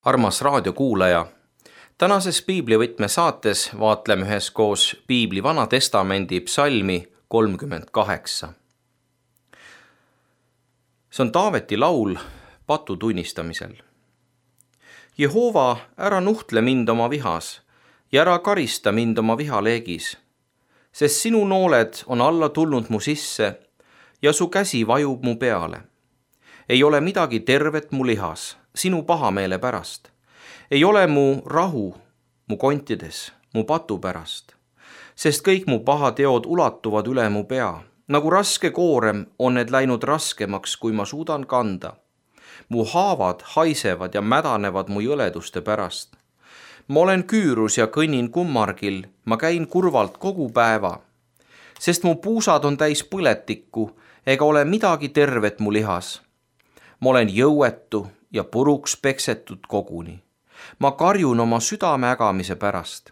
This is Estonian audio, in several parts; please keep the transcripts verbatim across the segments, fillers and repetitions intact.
Armas raadiokuulaja, tänases piiblivõtme saates vaatleme üheskoos piibli Vana Testamendi psalmi kolmkümmend kaheksa. See on Taaveti laul patu tunnistamisel. Jehova, ära nuhtle mind oma vihas ja ära karista mind oma vihaleegis, sest sinu nooled on alla tulnud mu sisse ja su käsi vajub mu peale. Ei ole midagi tervet mu lihas sinu pahameele pärast. Ei ole mu rahu mu kontides, mu patu pärast, sest kõik mu pahateod ulatuvad üle mu pea. Nagu raske koorem on need läinud raskemaks, kui ma suudan kanda. Mu haavad haisevad ja mädanevad mu jõleduste pärast. Ma olen küürus ja kõnnin kummargil, ma käin kurvalt kogu päeva, sest mu puusad on täis põletikku, ega ole midagi tervet mu lihas. Ma olen jõuetu ja puruks peksetud koguni. Ma karjun oma südame ägamise pärast.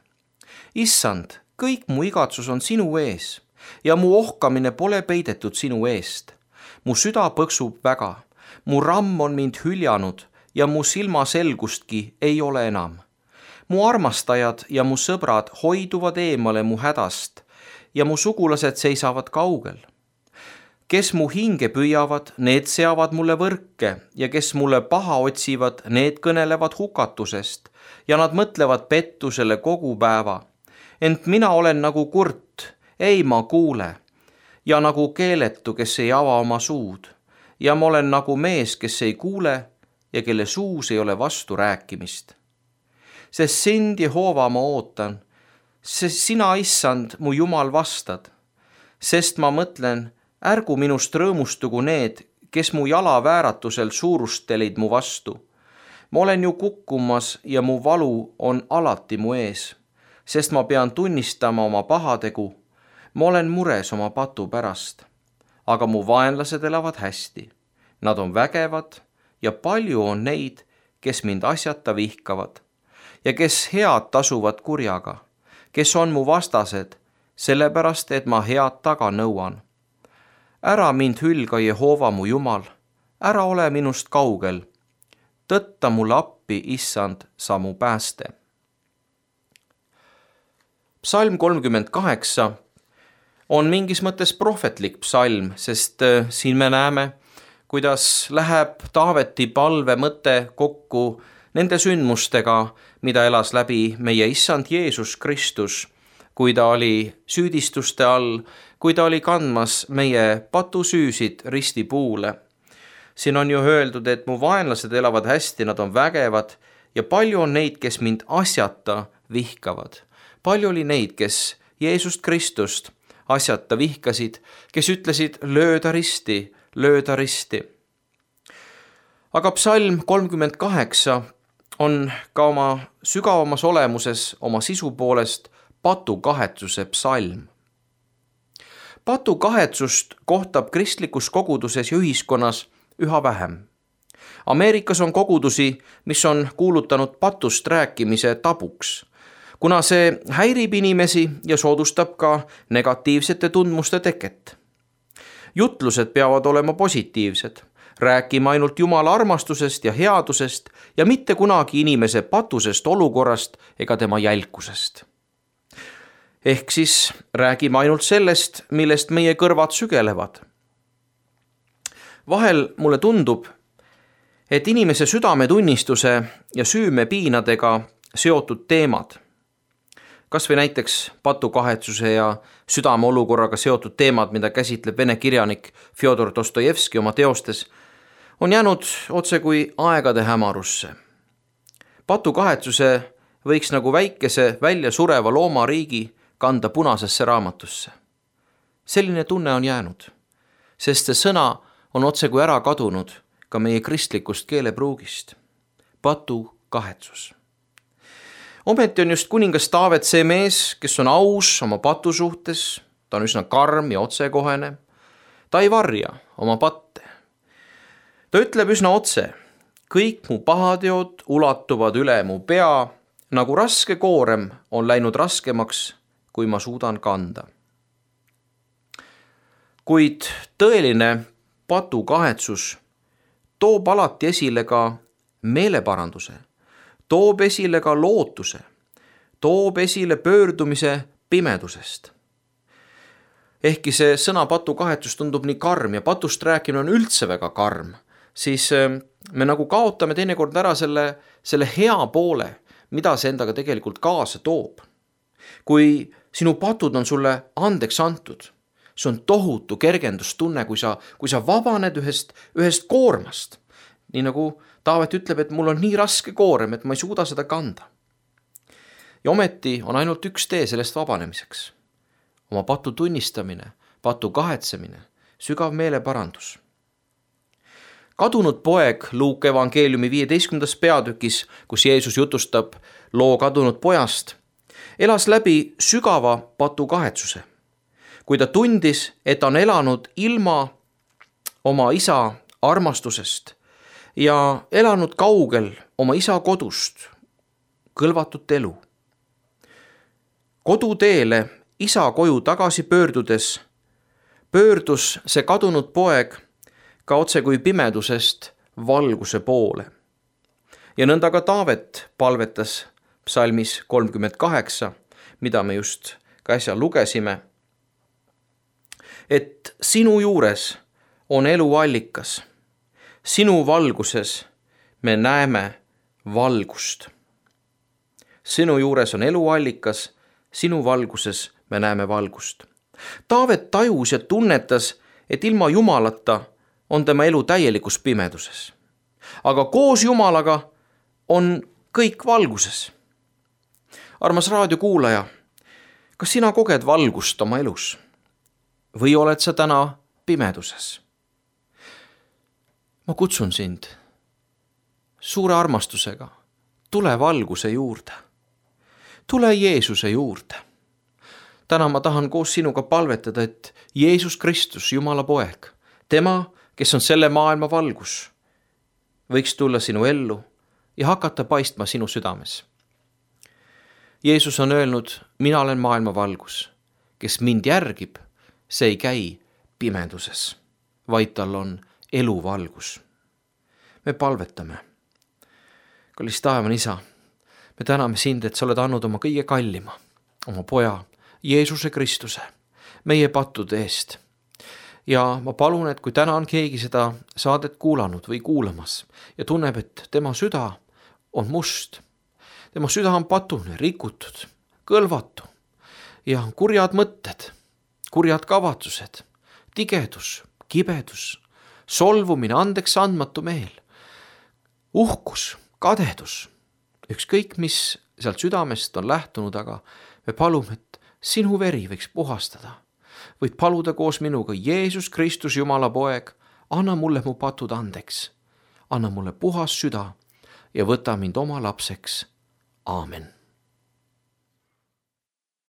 Issand, kõik mu igatsus on sinu ees ja mu ohkamine pole peidetud sinu eest. Mu süda põksub väga, mu ramm on mind hüljanud ja mu silmaselgustki ei ole enam. Mu armastajad ja mu sõbrad hoiduvad eemale mu hädast ja mu sugulased seisavad kaugel. Kes mu hinge püüavad, need seavad mulle võrke ja kes mulle paha otsivad, need kõnelevad hukatusest ja nad mõtlevad pettusele kogu päeva. Ent mina olen nagu kurt, ei ma kuule, ja nagu keeletu, kes ei ava oma suud, ja ma olen nagu mees, kes ei kuule ja kelle suus ei ole vastu rääkimist. Sest sind, Jehova, ma ootan, sest sina, Issand, mu Jumal, vastad, sest ma mõtlen, ärgu minust rõõmustugu need, kes mu jala vääratusel suurustelid mu vastu. Ma olen ju kukkumas ja mu valu on alati mu ees, sest ma pean tunnistama oma pahategu. Ma olen mures oma patu pärast, aga mu vaenlased elavad hästi. Nad on vägevad ja palju on neid, kes mind asjata vihkavad ja kes head tasuvad kurjaga, kes on mu vastased, sellepärast et ma head taga nõuan. Ära mind hülga, Jehova, mu Jumal, ära ole minust kaugel. Tõtta mulle appi, Issand, sa mu pääste. Psalm kolmkümmend kaheksa on mingis mõttes prohvetlik psalm, sest siin me näeme, kuidas läheb Taaveti palve mõte kokku nende sündmustega, mida elas läbi meie Issand Jeesus Kristus, kui ta oli süüdistuste all, kui ta oli kandmas meie patusüüsid ristipuule. Siin on ju öeldud, et mu vaenlased elavad hästi, nad on vägevad ja palju on neid, kes mind asjata vihkavad. Palju oli neid, kes Jeesust Kristust asjata vihkasid, kes ütlesid lööda risti, lööda risti. Aga psalm kolmkümmend kaheksa on ka oma sügavamas olemuses, oma sisu poolest patukahetsuse psalm. Patukahetsust kohtab kristlikus koguduses ja ühiskonnas üha vähem. Ameerikas on kogudusi, mis on kuulutanud patust rääkimise tabuks, kuna see häirib inimesi ja soodustab ka negatiivsete tundmuste teket. Jutlused peavad olema positiivsed, rääkima ainult Jumala armastusest ja headusest ja mitte kunagi inimese patusest olukorrast ega tema jälkusest. Ehk siis räägime ainult sellest, millest meie kõrvad sügelevad. Vahel mulle tundub, et inimese südametunnistuse ja süümepiinadega seotud teemad, kas või näiteks patukahetsuse ja südameolukorraga seotud teemad, mida käsitleb vene kirjanik Fjodor Dostojevski oma teostes, on jäänud otse kui aegade hämarusse. Patukahetsuse võiks nagu väikese välja sureva loomariigi kanda punasesse raamatusse. Selline tunne on jäänud, sest see sõna on otse kui ära kadunud ka meie kristlikust keelepruugist. Patukahetsus. Ometi on just kuningas Taavet see mees, kes on aus oma patu suhtes, ta on üsna karm ja otsekohene. Ta ei varja oma patte. Ta ütleb üsna otse, kõik mu pahateod ulatuvad üle mu pea, nagu raske koorem on läinud raskemaks, kui ma suudan kanda. Kuid tõeline patukahetsus toob alati esile ka meeleparanduse, toob esile ka lootuse, toob esile pöördumise pimedusest. Ehkki see sõna patukahetsus tundub nii karm ja patust rääkimine on üldse väga karm, siis me nagu kaotame teinekord ära selle, selle hea poole, mida see endaga tegelikult kaasa toob. Kui sinu patud on sulle andeks antud, see on tohutu kergendustunne, kui sa, kui sa vabaned ühest, ühest koormast. Nii nagu Taavet ütleb, et mul on nii raske koorem, et ma ei suuda seda kanda. Ja ometi on ainult üks tee sellest vabanemiseks. Oma patu tunnistamine, patu kahetsemine, sügav meeleparandus. Kadunud poeg Luuke evangeeliumi viieteistkümnendas peatükis, kus Jeesus jutustab loo kadunud pojast, elas läbi sügava patu kahetsuse. Kui ta tundis, et on elanud ilma oma isa armastusest ja elanud kaugel oma isa kodust, kõlvatut elu. Koduteele isa koju tagasi pöördudes, pöördus see kadunud poeg ka otse kui pimedusest valguse poole. Ja nõnda ka Taavet palvetas psalmis kolmkümmend kaheksa, mida me just ka äsja lugesime, et sinu juures on elu allikas, sinu valguses me näeme valgust. Sinu juures on elu allikas, sinu valguses me näeme valgust. Taavet tajus ja tunnetas, et ilma Jumalata on tema elu täielikus pimeduses. Aga koos Jumalaga on kõik valguses. Armas raadiokuulaja, kas sina koged valgust oma elus? Või oled sa täna pimeduses? Ma kutsun sind suure armastusega, tule valguse juurde. Tule Jeesuse juurde. Täna ma tahan koos sinuga palvetada, et Jeesus Kristus, Jumala poeg, tema, kes on selle maailma valgus, võiks tulla sinu ellu ja hakata paistma sinu südames. Jeesus on öelnud, mina olen maailma valgus, kes mind järgib, see ei käi pimeduses, vaid tal on eluvalgus. Me palvetame. Kallis taevane isa, me täname sind, et sa oled andnud oma kõige kallima, oma poja, Jeesuse Kristuse, meie pattude eest. Ja ma palun, et kui täna on keegi seda saadet kuulanud või kuulamas ja tunneb, et tema süda on must, tema süda on patune, rikutud, kõlvatu ja kurjad mõtted, kurjad kavatsused, tigedus, kibedus, solvumine, andeks andmatu meel, uhkus, kadedus, ükskõik mis sealt südamest on lähtunud, aga me palume, et sinu veri võiks puhastada. Võid paluda koos minuga, Jeesus Kristus, Jumala poeg, anna mulle mu patud andeks, anna mulle puhas süda ja võta mind oma lapseks. Aamen.